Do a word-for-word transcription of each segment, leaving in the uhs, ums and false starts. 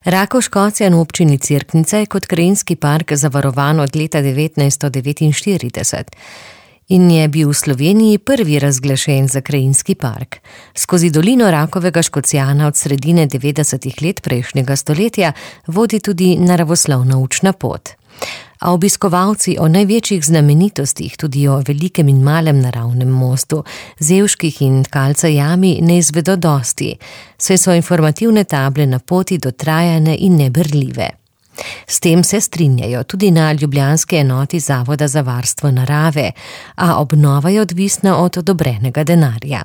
Rakovškocjan v občini Cerknica je kot krajinski park zavarovan od leta devetnajststo devetinštirideset in je bil v Sloveniji prvi razglašen za krajinski park. Skozi dolino Rakovega Škocjana od sredine devetdesetih let prejšnjega stoletja vodi tudi naravoslovna učna pot. A obiskovalci o največjih znamenitostih, tudi o velikem in malem naravnem mostu, Zevških in Tkalca jami ne izvedo dosti, saj so informativne table na poti dotrajane in neberljive. S tem se strinjajo tudi na ljubljanski enoti Zavoda za varstvo narave, a obnova je odvisna od odobrenega denarja.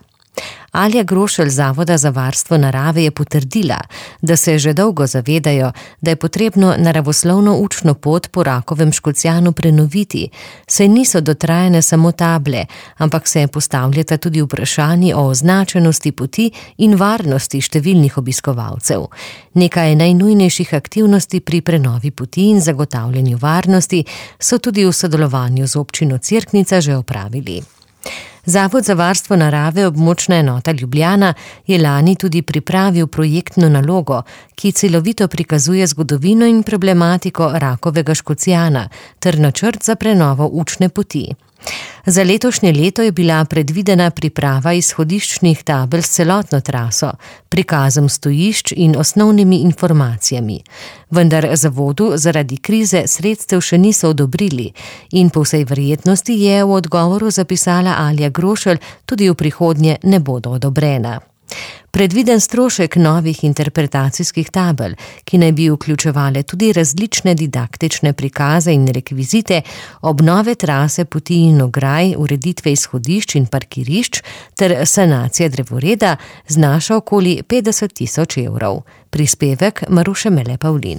Alja Grošelj z Zavoda za varstvo narave je potrdila, da se že dolgo zavedajo, da je potrebno naravoslovno učno pot po Rakovem Škocjanu prenoviti, saj niso dotrajane samo table, ampak se postavljata tudi vprašanji o označenosti poti in varnosti številnih obiskovalcev. Nekaj najnujnejših aktivnosti pri prenovi poti in zagotavljanju varnosti so tudi v sodelovanju z občino Cerknica že opravili. Zavod za varstvo narave območna enota Ljubljana je lani tudi pripravil projektno nalogo, ki celovito prikazuje zgodovino in problematiko Rakovega Škocjana ter načrt za prenovo učne poti. Za letošnje leto je bila predvidena priprava izhodiščnih tabel s celotno traso, prikazom stojišč in osnovnimi informacijami. Vendar zavodu zaradi krize sredstev še niso odobrili in po vsej verjetnosti je v odgovoru zapisala Alja Grošelj, tudi v prihodnje ne bodo odobrena. Predviden strošek novih interpretacijskih tabel, ki naj bi vključevale tudi različne didaktične prikaze in rekvizite, obnove trase poti in ograj, ureditve izhodišč in parkirišč ter sanacije drevoreda, znaša okoli petdeset tisoč evrov. Prispevek Maruše Mele Pavlin.